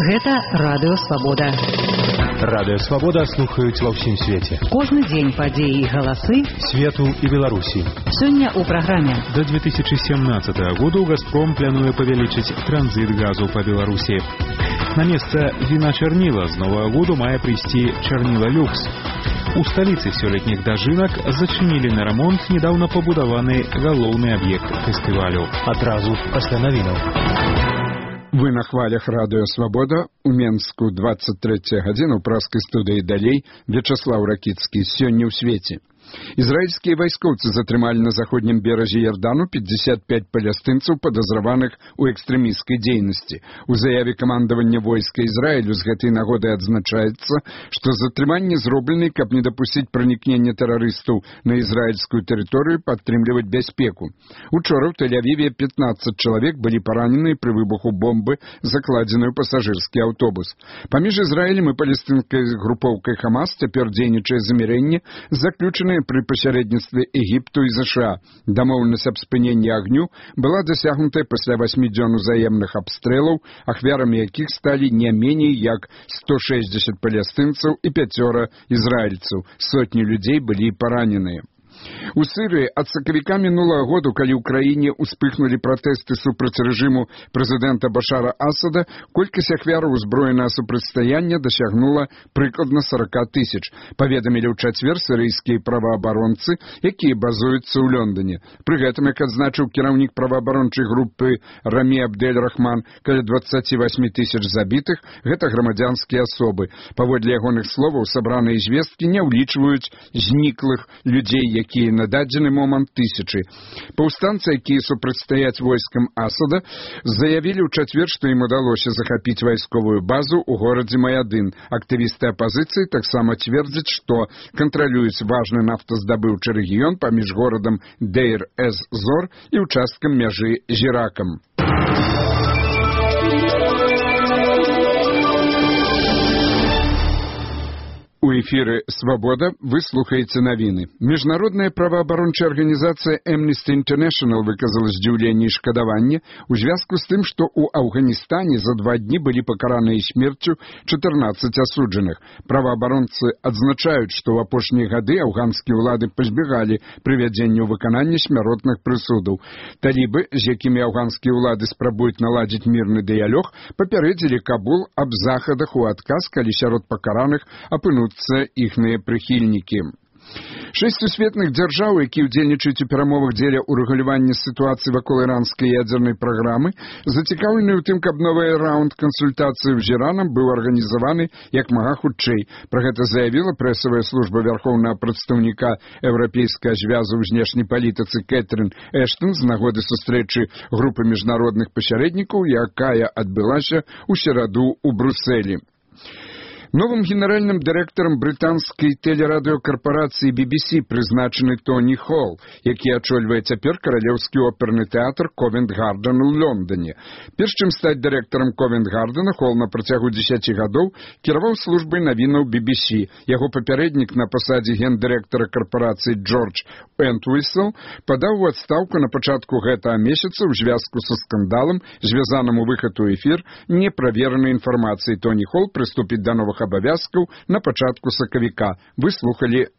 Гэта Радыё Свабода. Радыё Свабода слухаюць ва ўсім свеце. Кожны дзень падзеі і галасы свету і Беларусі. Сёння ў праграме. До 2017 году «Газпром» плануе павялічыць транзит газу па Беларусі. На месца віна чарніла з новага году мае прыйсці чарніла люкс. У сталіцы сёлетніх дажынак зачынілі на рамонт недаўна пабудаваны галоўны аб'ект фестывалю. Адразу пасля навінаў. Вы на хвалях Радыё Свабода. У Менску 23 гадзіна ў праскай студыі далей Вячаслаў Ракіцкі. Сёння ў свеце. Израильские войскоўцы затрымалі на заходнім беразе Ярдану 55 палестынцаў, падазраваных у экстрэмісцкай дзейнасці. У заяве камандавання войска Ізраілю з гэтай нагоды адзначаецца, што затрыманні зроблены, каб не дапусціць пранікнення тэрарыстаў на ізраільскую тэрыторыю, падтрымліваць бяспеку. Учора ў Тель-Авіве 15 чалавек былі паранены пры выбуху бомбы, закладзенай у пасажырскі аўтобус. Паміж Ізраілем і палестынскай групоўкай Хамас цяпер дзейнічае замірэнне, заключанае пры пасярэдніцтве Егіпту і ЗША. Дамоўленасць аб спыненні агню была дасягнутая пасля 8 дзён узаемных абстрэлаў, ахвярамі якіх сталі не меней як 160 палестынцаў і 5 ізраільцаў. Сотні людзей былі параненыя. У Сырыі ад сакавіка мінулага году, калі ў краіне ўспыхнулі пратэсты супраць рэжыму прэзідэнта Башара Асада, колькасць ахвяраў узброенага супрацьстаяння дасягнула прыкладна 40 тысяч, паведамілі ў чацвер сірыйскія праваабаронцы, якія базуюцца ў Лондоне. Пры гэтым, як адзначыў кіраўнік праваабарончай групы Рамі Абдель-Рахман, каля 28 тысяч забітых гэта грамадзянскія асобы. Паводле ягоных словаў, сабраныя звесткі не ўлічваюць зніклых людзей, якія на дадзены момант тысячы. Паўстанцы, якія супрацьстаяць войскам Асада, заявілі ў чацвер, што ім удалося захапіць вайсковую базу ў горадзе Маядын. Актывісты апазіцыі таксама цвердзяць, што кантралююць важны нафтаздабыўчы рэгіён паміж горадам Дейр-эз-Зор і участкам мяжы з Іракам. У эфіры «Свабода» вы слухаеце навіны. Міжнародная праваабарончая арганізацыя Amnesty International выказала здзіўленне і шкадаванне ў звязку з тым, што ў Афганістане за 2 дні былі пакараныя смерцю 14 асуджаных. Праваабаронцы адзначаюць, што ў апошнія гады афганскія ўлады пазбегалі прывядзення ў выкананне смяротных прысудаў. Талібы, з якімі афганскія ўлады спрабуюць наладзіць мірны дыялог, папярэдзілі Кабул аб захадах у адказ, калі сярод пакараных апынуцца іхныя прыхільнікі. 6 сусветных дзяржаў, якія ўдзельнічаюць у перамовах дзеля ўрэгулявання сітуацыі вакол іранскай ядзернай праграмы, зацікаўлены ў тым, каб новы раунд кансультацыяў з Іранам быў арганізаваны як мага хутчэй. Пра гэта заявіла прэсавая служба вярхоўнага прадстаўніка Еўрапейскага звязу ў знешняй палітыцы Кэтрин Эштон з нагоды сустрэчы групы міжнародных пасярэднікаў, якая адбылася ў сераду ў Брусэлі. Новым генеральным дырэктарам брытанскай тэлерадыёкарпарацыі BBC прызначаны Тоні Холл, які ачольвае цяпер каралеўскі оперны тэатр Ковент-Гарден у Лондоне. Перш чым стаць дырэктарам Ковент-Гардена, Холл на працягу 10 гадоў кіраваў службай навінаў BBC. Яго папярэднік на пасадзе гендырэктара карпарацыі Джордж Энтвісел падаў у адстаўку на пачатку гэтага месяца ў звязку са скандалам, звязаным у выхад у эфір неправеранай інфармацыі. Тоні Холл прыступіць да новых абавязкаў на пачатку сакавіка. Вы слухалі